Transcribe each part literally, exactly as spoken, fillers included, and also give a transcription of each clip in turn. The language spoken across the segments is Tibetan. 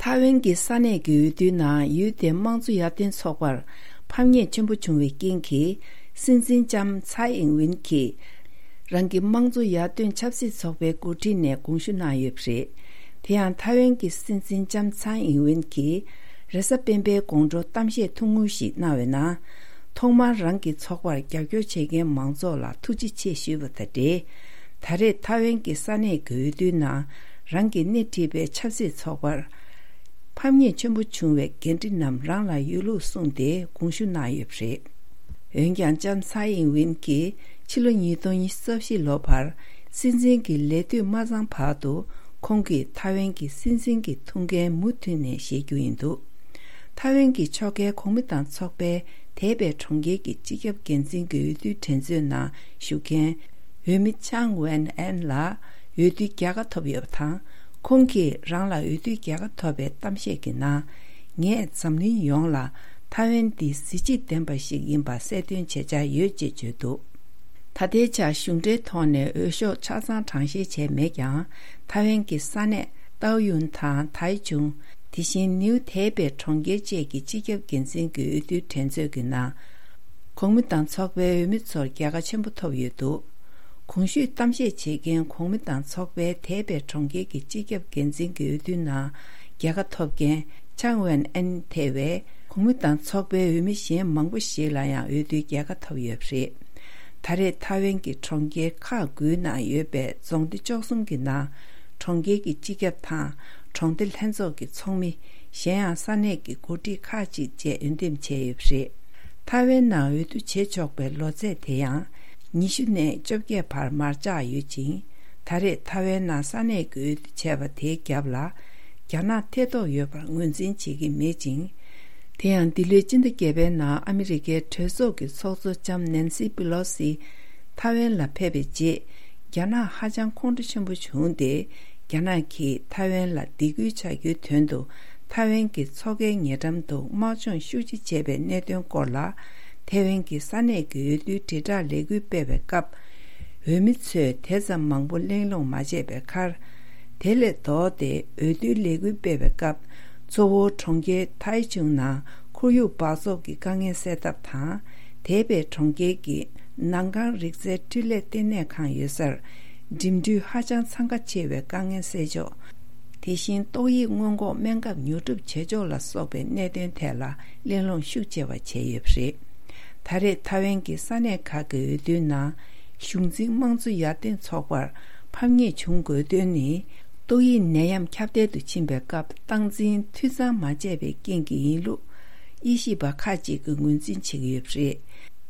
ཐའེ་ཝན་གྱི་ས་གནས་ཀྱི་འོས་བསྡུའི་ནང་ཡུལ་དེའི་དམངས་གཙོ་ཡར་ཐོན་ཚོགས་པར་ཕམ་ཉེས་ཆེན་པོ་བྱུང་བའི་རྐྱེན་གྱིས། སྲིད་འཛིན་ལྕམ་ཚའེ་ཨིང་ཝིན་གྱིས་རང་གི་དམངས་གཙོ་ཡར་ཐོན་ཆབ་སྲིད་ཚོགས་པའི་འགོ་ཁྲིད་ནས་དགོངས་ཞུ་གནང་ཡོད་པ་རེད། དེ་ཡང་ཐའེ་ཝན་གྱི་སྲིད་འཛིན་ལྕམ་ཚའེ་ཨིང་ཝིན་གྱིས་རེས་གཟའ་སྤེན་པའི་དགོང་དྲོ་གཏམ་བཤད་ཐུང་ངུ་ཞིག་གནང་བའི་ནང་། ཐོག་མར་རང་གི་ཚོགས་པར་རྒྱབ་སྐྱོར་བྱེད་མཁན་མང་ཚོགས་ལ་ཐུགས་རྗེ་ཆེ་ཞུས་པ་དང་འབྲེལ། ད་རེས་ཐའེ་ཝན་གྱི་ས་གནས་ཀྱི་འོས་བསྡུའི་ནང་རང་གིས་སྣེ་ཁྲིད་པའི་ཆབ་སྲིད་ཚོགས་པར་ཕམ་ཉེས་ཆེན་པོ་བྱུང་བའི་འགན་འཁྲི་རྣམས་རང་ལ་ཡོད་ལུགས་གསུངས་ཏེ་དགོངས་ཞུ་གནང་ཡོད་པ་རེད། འོན་ཀྱང་ལྕམ་ཚའེ་ཨིང་ཝིན་གྱིས་ཕྱི་ལོ་ཉིས་སྟོང་ཉི་ཤུ་རྩ་བཞི་ལོ་བར་སྲིད་འཛིན་གྱི་ལས་དུས་མ་ཚང་བར་དུ་ཁོང་གིས་ཐའེ་ཝན་གྱི་སྲིད་འཛིན་གྱི་ཐུགས་འགན་མུ་མཐུད་ནས་བཞེས་རྒྱུ་ཡིན་འདུག་ཐའེ་ཝན་གྱི་ཕྱོགས་འགལ་གོང་མ་དང་ཚོགས་པའི་འདས་པའི་གྲོང་ཁྱེར་གྱི་སྤྱི་ཁྱབ་འགན་འཛིན་གྱི་འོས་བསྡུའི་འགྲན་རྩོད་ནང་ཞུགས་མཁན་འོས་མི་ཆང་ཝན་ཨན་ལ་འོས་བསྡུའི་རྒྱལ་ཁ་ཐོབ་ཡོད་པ་དང་། ཁོང་གིས་རང་ལ་འོས་བསྡུའི་རྒྱལ་ཁ་ཐོབ་པའི་གཏམ་བཤད་ཀྱི་ནང་། ངས་འཛམ་གླིང་ཡོངས་ལ་ཐའེ་ཝན་འདི་གཟི་བརྗིད་ལྡན་པ་ཞིག་ཡིན་པ་གསལ་སྟོན་བྱེད་འཆར་ཡོད་ཅེས་བརྗོད་འདུག་ད་ལྟའི་ཆར་གཞུང་འབྲེལ་ཐོག་ནས་འོས་ཤོག་ཆ་ཚང་གྲངས་བཤེར་བྱས་མེད་ཀྱང་། ཐའེ་ཝན་གྱི་ས་གནས་ཏའོ་ཡུན་དང་ཐའེ་ཆུང་། དེ་བཞིན་ནིའུ་ཐའེ་པེ་གྲོང་ཁྱེར་བཅས་ཀྱི་སྤྱི་ཁྱབ་འགན་འཛིན་གྱི་འོས་བསྡུའི་འགྲན་རྩོད་ཀྱི་ནང་། གོང་མ་དང་ཚོགས་པའི་འོས་མི་ཚོར་རྒྱལ་ཁ་ཆེན་པོ་ཐོབ་ཡོད་འདུག་གོང་ཞུས་གཏམ་བཤད་བྱེད་མཁན་གོང་མ་དང་ཚོགས་པའི་ཐའེ་པེ་གྲོང་ཁྱེར་གྱི་སྤྱི་ཁྱབ་འགན་འཛིན་གྱི་འོས་བསྡུའི་ནང་རྒྱལ་ཁ་ཐོབ་མཁན་ཆང་ཝན་ཨན་ཐེ་བས། གོང་མ་དང་ཚོགས་པའི་འོས་མི་གཞན་མང་པོ་ཞིག་ལ་ཡང་འོས་བསྡུའི་རྒྱལ་ཁ་ཐོབ་ཡོད་པ་རེད། ད་རེས་ཐའེ་ཝན་གྱི་གྲོང་ཁྱེར་ཁག་དགུའི་ནང་ཡོད་པའི་རྫོང་སྡེ་བཅུ་གསུམ་གྱི་ནང་། གྲོང་ཁྱེར་གྱི་སྤྱི་ཁྱབ་དང་། གྲོང་སྡེ་ལྷན་ཚོགས་ཀྱི་ཚོགས་མི། གཞན་ཡང་ས་གནས་ཀྱི་འགོ་ཁྲིད་ཁག་ཅིག་བཅས་འོས་འདེམས་བྱས་ཡོད་པ་རེད། ཐའེ་ཝན་ནང་འོས་བསྡུ་བྱེད་ཆོག་པའི་ལོ་ཚད་དེ་ཡང་། ཉི་ཤུ་ནས་བཅོ་བརྒྱད་བར་མར་བཅག་ཡོད་ཅིང་། ད་རེས་ཐའེ་ཝན་ནང་ས་གནས་ཀྱི་འོས་བསྡུ་བྱས་པ་དེའི་རྒྱབ་ལ། རྒྱ་ནག་ཐེ་གཏོགས་ཡོད་པར་ངོས་འཛིན་བྱེད་ཀྱི་མེད་ཅིང་། དེ་ཡང་འདི་ལོའི་སྤྱི་ཟླ་བརྒྱད་པའི་ནང་ཨ་མི་རི་ཀའི་གྲོས་ཚོགས་ཀྱི་ཚོགས་གཙོ་ལྕམ་ནན་སི་པི་ལོ་སི་ཐའེ་ཝན་ལ་ཕེབས་པའི་རྗེས། རྒྱ་ནག་ཧ་ཅང་ཁོང་ཁྲོ་ཆེན་པོ་བྱུང་སྟེ། རྒྱ་ནག་གིས་ཐའེ་ཝན་ལ་སྡིགས་སྐུལ་བྱ་རྒྱུའི་དོན་དུ། ཐའེ་ཝན་གྱི་མཚོ་ཁའི་ཉེ་འགྲམ་དུ་དམག་སྦྱོང་ཤུགས་ཆེ་བྱས་པའི་གནད་དོན་སྐོར་ལ། ཐའེ་ཝན་གྱི་ས་གནས་ཀྱི་འོས་བསྡུའི་དྲིལ་བསྒྲགས་ལས་འགུལ་སྤེལ་བའི་སྐབས། འོས་མི་ཚོས་དེ་ཙམ་མང་པོ་གླེང་སློང་མ་བྱས་པའི་ཁར། དེ་ལས་ལྡོག་སྟེ་འོས་བསྡུའི་ལས་འགུལ་སྤེལ་བའི་སྐབས། གཙོ་བོ་གྲོང་ཁྱེར་ཐའེ་ཆུང་ནང་ཁོར་ཡུག་འབག་བཙོག་གི་དཀའ་ངལ་སེལ་ཐབས་དང་། དེ་བས་གྲོང་ཁྱེར་གྱི་ནང་ཁང་རིག་རྩལ་འཕྲུལ་ལས་ལྟེ་གནས་ཁང་ཡོད་སར། འགྲིམ་འགྲུལ་ཧ་ཅང་འཚང་ཁ་ཆེ་བའི་དཀའ་ངལ་སེལ་ཕྱོགས། དེ་བཞིན་ཏོག་དབྱིབས་སྔོན་འགོག་སྨན་ཁབ་ཉོ་སྒྲུབ་བྱེད་ཕྱོགས་ལ་སོགས་པའི་གནད་དོན་ཐད་ལ་གླེང་སློང་ཤུགས་ཆེ་བ་བྱས་ཡོད་པ་རེད། ད་རེས་ཐའེ་ཝན་གྱི་ས་གནས་ཁག་གི་འོས་བསྡུའི་ནང་། གཞུང་འཛིན་དམངས་གཙོ་ཡར་ཐོན་ཚོགས་པར་ཕམ་ཉེས་བྱུང་དགོས་དོན་ནི། ཏོག་དབྱིབས་ནད་ཡམས་ཁྱབ་གདལ་དུ་ཕྱིན་པའི་སྐབས། སྟངས་འཛིན་འཐུས་ཚང་མ་བྱས་པའི་རྐྱེན་གྱིས་ཡིན་ལུགས། དབྱེ་ཞིབ་པ་ཁག་ཅིག་གིས་ངོས་འཛིན་བྱེད་ཀྱི་ཡོད་པ་རེད།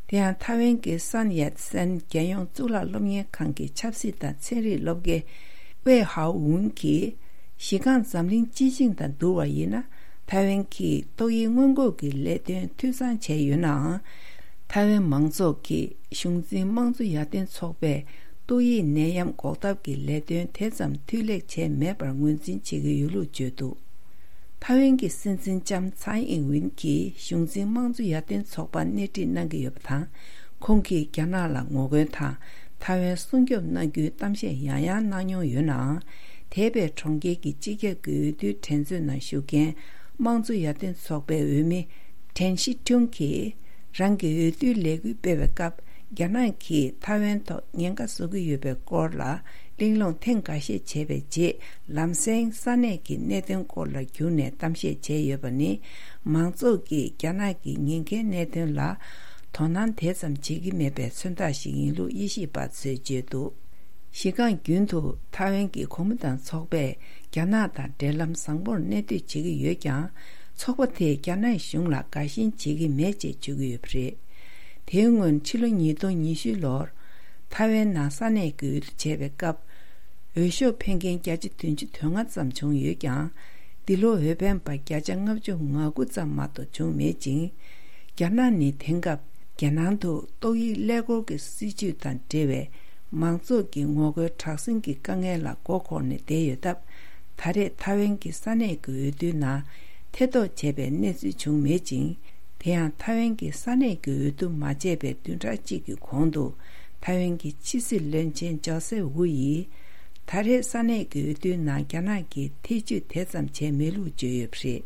དེ་ཡང་ཐའེ་ཝན་གྱི་སན་ཡད་སན་རྒྱལ་ཡོངས་གཙུག་ལག་སློབ་གཉེར་ཁང་གི་ཆབ་སྲིད་དང་ཚན་རིག་སློབ་དགེ་ཝེ་ཧའོ་ཝུན་གྱིས། གཞི་རྐང་འཛམ་གླིང་སྤྱི་བྱིངས་དང་བསྡུར་བ་ཡིན་ན། ཐའེ་ཝན་གྱིས་ཏོག་དབྱིབས་སྔོན་འགོག་གི་ལས་དོན་འཐུས་ཚང་བྱས་ཡོད་ནའང་། ཐའེ་ཝན་མང་ཚོགས་ཀྱིས་གཞུང་འཛིན་དམངས་གཙོ་ཡར་ཐོན་ཚོགས་པས་ཏོག་དབྱིབས་ནད་ཡམས་འགོག་ཐབས་ཀྱི་ལས་དོན་དེ་ཙམ་མཐུད་ལེགས་བྱས་མེད་པར་ངོས་འཛིན་བྱེད་ཀྱི་ཡོད་ལུགས་བརྗོད་འདུག་ཐའེ་ཝན་གྱི་སྲིད་འཛིན་ལྕམ་ཚའེ་ཨིང་ཝིན་གྱིས་གཞུང་འཛིན་དམངས་གཙོ་ཡར་ཐོན་ཚོགས་པར་སྣེ་ཁྲིད་གནང་གི་ཡོད་པ་དང་། ཁོང་གིས་རྒྱ་ནག་ལ་ངོ་རྒོལ་དང་ཐའེ་ཝན་སྲུང་སྐྱོབ་གནང་རྒྱུའི་གཏམ་བཤད་ཡང་ཡང་གནང་མྱོང་ཡོད་ནའང་། དེ་བས་གྲོང་ཁྱེར་གྱི་སྤྱི་ཁྱབ་ཀྱི་འོས་བསྡུའི་འགྲན་རྩོད་ནང་ཞུགས་མཁན་དམངས་གཙོ་ཡར་ཐོན་ཚོགས་པའི་འོས་མི་ཀྲན་ཤི་ཁྲུང་གིས། རང་གི་འོས་བསྡུའི་ལས་འགུལ་སྤེལ་བའི་སྐབས། རྒྱ་ནག་གིས་ཐའེ་ཝན་ཐོག་ཉེན་ཁ་བཟོ་གི་ཡོད་པའི་སྐོར་ལ་གླེང་སློང་ཐེངས་འགའ་ཤས་བྱས་པའི་རྗེས། ལམ་སེང་ས་གནས་ཀྱི་གནད་དོན་སྐོར་ལ་བསྒྱུར་ནས་གཏམ་བཤད་བྱས་ཡོད་པ་ནི། མང་ཚོགས་ཀྱིས་རྒྱ་ནག་གི་ཉེན་ཁའི་གནད་དོན་ལ་དོ་སྣང་དེ་ཙམ་བྱེད་ཀྱི་མེད་པའི་མཚོན་རྟགས་ཤིག་ཡིན་ལུགས་དབྱེ་ཞིབ་པ་ཚོས་བརྗོད་འདུག་གཞི་རྐང་རྒྱུན་དུ་ཐའེ་ཝན་གྱི་གོང་མ་དང་ཚོགས་པས་རྒྱ་ནག་དང་འབྲེལ་ལམ་བཟང་པོར་གནས་སྡོད་བྱེད་ཀྱི་ཡོད་ཀྱང་། ཚོགས་པ་དེས་རྒྱ་ནག་གཞུང་ལ་དགའ་ཞེན་བྱེད་ཀྱི་མེད་ཅེས་བརྗོད་ཀྱི་ཡོད་པ་རེད། དེའི་སྔོན་ཕྱི་ལོ་ཉིས་སྟོང་ཉི་ཤུ་ལོར་ཐའེ་ཝན་ནང་ས་གནས་ཀྱི་འོས་བསྡུ་བྱས་པའི་སྐབས། འོས་ཤོག་འཕེན་མཁན་བརྒྱ་ཆ་བདུན་ཅུ་དོན་ལྔ་ཙམ་བྱུང་ཡོད་ཀྱང་། འདི་ལོ་འོས་འཕེན་པ་བརྒྱ་ཆ་ལྔ་བཅུ་ང་དགུ་ཙམ་མ་གཏོགས་བྱུང་མེད་ཅིང་། རྒྱ་ནག་ནི་དེང་སྐབས་རྒྱལ་ནང་དུ་ཏོག་དབྱིབས་ཀླད་ཀོར་གྱི་སྲིད་བྱུས་དང་འབྲེལ་བའི་མང་ཚོགས་ཀྱི་ངོ་རྒོལ་དྲག་ཟིང་གི་དཀའ་ངལ་ལ་མགོ་འཁོར་ནས་བསྡད་ཡོད་སྟབས། ད་རེས་ཐའེ་ཝན་གྱི་ས་གནས་ཀྱི་འོས་བསྡུའི་ནང་ཐེ་གཏོགས་བྱས་པའི་གནས་ཚུལ་བྱུང་མེད་ཅིང་། དེ་ཡང་ཐའེ་ཝན་གྱི་ས་གནས་ཀྱི་འོས་བསྡུ་མ་བྱས་པའི་བདུན་ཕྲག་གཅིག་གི་གོང་དུ། ཐའེ་ཝན་གྱི་ཕྱི་སྲིད་བློན་ཆེན་ཇོ་སེ་ཝུ་ཡིས། ད་རེས་ས་གནས་ཀྱི་འོས་བསྡུའི་ནང་རྒྱ་ནག་གིས་ཐེ་བྱུས་དེ་ཙམ་བྱས་མེད་ལུགས་བརྗོད་ཡོད་པ་རེད།